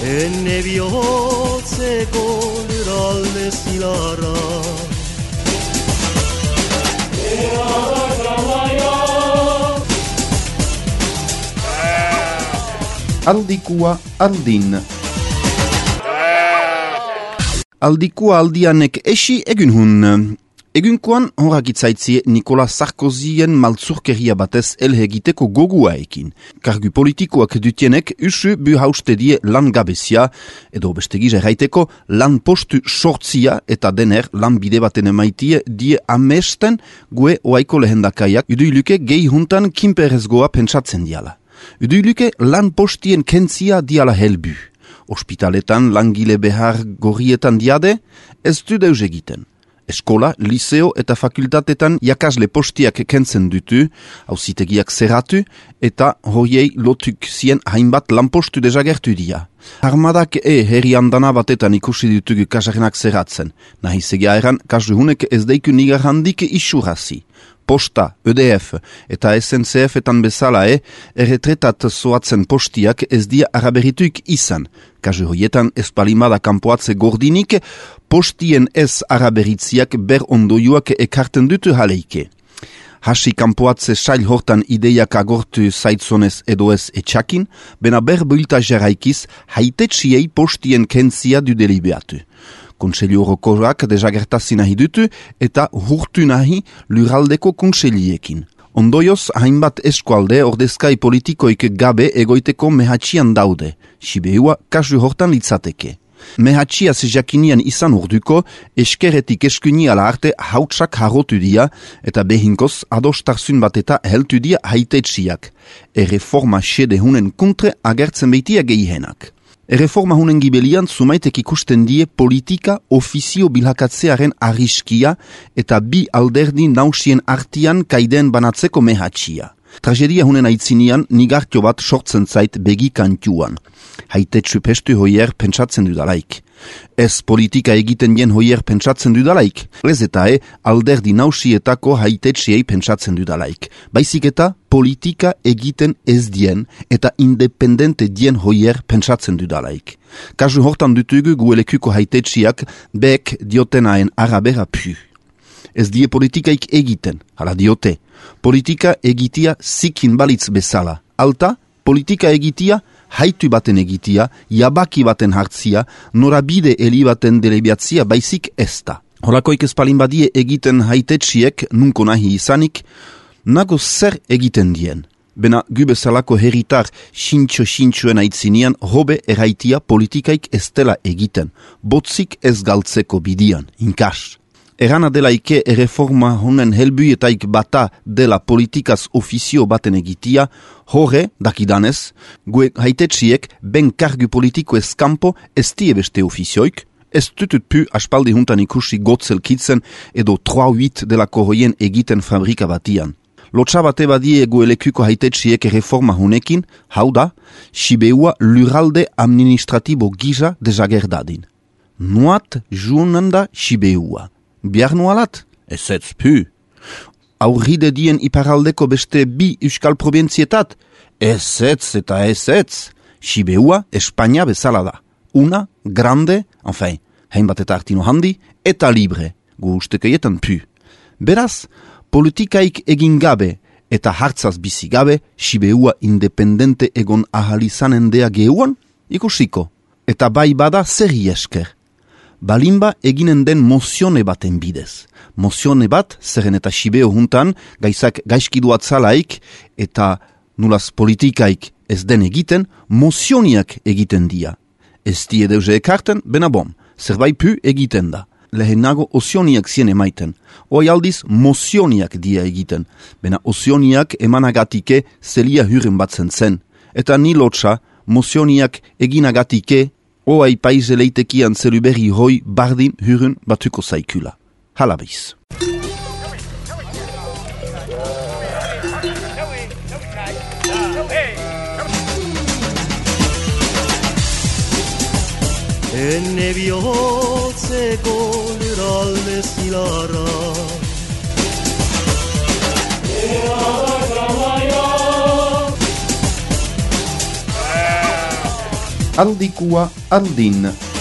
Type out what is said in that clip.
Enne bihotzeko lurralde zilarra Aldikua aldin. Aldikua aldianek esi egun hun. Egunkoan horakitzaitzie Nicolas Sarkozien maltzurkeria batez elhegiteko goguaekin. Kargu politikoak dutienek usu buhauste die lan gabezia, edo bestegiz erraiteko lan postu sortzia eta dener lan bide baten emaitie die amesten gue oaiko lehendakaiak uduiluke gehi huntan kinperezgoa pentsatzen diala. Uduiluke lan postien kentzia diala helbu. Ospitaletan langile behar gorrietan diade, ez du deus egiten. Eskola, liceo eta fakultatetan jakasle postiak kentzen dutu, auzitegiak zerratu, eta horiei lotuk zien hainbat lanpostu desagertu dia. Armadak herri andana batetan ikusi dutugu kasarrenak zerratzen. Nahizega eran, kasu hunek ez deiku nigar handik isurazi. Posta, EDF eta SNCF-etan bezala erretretat zoatzen postiak ez dia araberituik izan. Kasu hoietan ez palimada kanpoatze gordinik, postien ez araberitziak ber ondoiuak ekarten dutu haleike. Hasi kanpoatze sail hortan ideiak agortu zaitzonez edo ez etxakin, bena ber builta jarraikiz haitetxiei postien kentzia du delibeatu. Kontseilu orokorrak desagertazi nahi dutu eta hurtu nahi lurraldeko kontseiliekin. Ondoioz, hainbat eskualde ordezkai politikoik gabe egoiteko mehatxian daude. Sibeua kasu hortan litzateke. Mehatxiaz jakinian izan urduko, eskeretik eskuni ala arte hautsak harrotu dia eta behinkoz adostarzun bat eta heltu dia haitetxiak. Erreforma xede hunen kontre agertzen beitia gehihenak. Erreforma hunen gibelian zumaitek ikusten die politika ofizio bilhakatzearen arriskia eta bi alderdi nausien artian kaiden banatzeko mehatxia. Tragedia hunen aitzinian nigartio bat sortzen zait begi kantuan. Haitetsu pestu hoier pentsatzen dudalaik. Ez politika egiten dien hoier pentsatzen dudalaik. Ez eta alderdi nausietako haitetxiei pentsatzen dudalaik. Baizik eta politika egiten ez dien eta independente dien hoier pentsatzen dudalaik. Kasu hortan dutugu guelekuko haitetxiak bek diotenaen arabera pu. Ez die politikaik egiten, hala diote. Politika egitia zikin balitz bezala. Alta, politika egitia haitu baten egitia, jabaki baten hartzia, norabide eli baten delebiatzia baizik ezta. Horakoik espalin badie egiten haitetxiek, nunko nahi izanik, nago zer egiten dien. Bena gubezalako herritar xintxo-xintxoen aitzinian hobe erraitia politikaik ez dela egiten, botzik ez galtzeko bidian, inkas. Erana delaike erreforma honen helbuetaik bata dela politikaz ofizio baten egitia, horre, dakidanez, gue haitetxiek ben kargu politiko eskampo ez die beste ofizioik, ez tutut pu aspaldi huntan ikusi gotzelkitzen edo 3-8 delako hoien egiten fabrika batian. Lotsa bate badie goelekuko haitetxiek erreforma honekin, hau da, Sibeua lurralde administratibo gisa desagerdadin. Nuat juunanda Sibeua. Biar nualat? Ez pu. Aurride dien iparaldeko beste bi euskal provintzietat? Ez eta ez. Sibeua Espainia bezala da. Una, grande, enfin, hainbat eta artino handi, eta libre. Gu ustekeietan pu. Beraz, politikaik egin gabe eta hartzaz bizi gabe, Sibeua independente egon ahalizanen dea geuan, ikusiko. Eta bai bada zerri esker. Balimba eginen den mozione baten bidez. Mozione bat, zerren eta Sibeo juntan, gaizak gaizkiduatzalaik eta nulaz politikaik ez den egiten, mozioniak egiten dia. Ez die deuze ekarten, bena bom, zerbait pu egiten da. Lehenago ozioniak zien emaiten. Hoi aldiz mozioniak dia egiten. Bena ozioniak emanagatike zelia huren batzen zen. Eta ni lotsa, mozioniak eginagatike oai paize leitekian zeluberri hoi bardin hurun batuko zaikula. Halabiz. Enne bihotzeko lurralde zilarra aldikua aldin.